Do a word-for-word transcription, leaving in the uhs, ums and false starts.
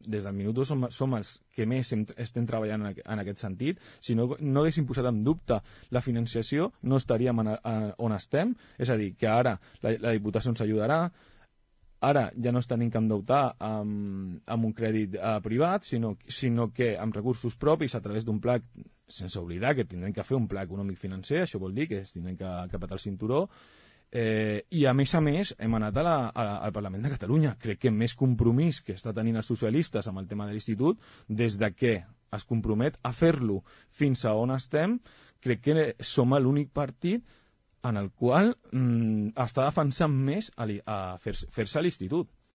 des del minut dos som, som els que més hem, estem treballant en, en aquest sentit. Si no, no haguéssim posat en dubte la financiació, no estaríem en, en, on estem. És a dir, que ara la, la Diputació ens ajudarà, ara ja no es tenim que endeutar amb, amb un crèdit eh, privat, sinó, sinó que amb recursos propis a través d'un pla, sense oblidar que tindrem que fer un pla econòmic financer, això vol dir que tindrem que, que petar el cinturó, eh, i a més a més hem anat a la, a, al Parlament de Catalunya. Crec que més compromís que està tenint els socialistes amb el tema de l'institut, des de que es compromet a fer-lo fins a on estem, crec que som l'únic partit en el qual mm, està defensant més a, a fer-se fer a l'institut.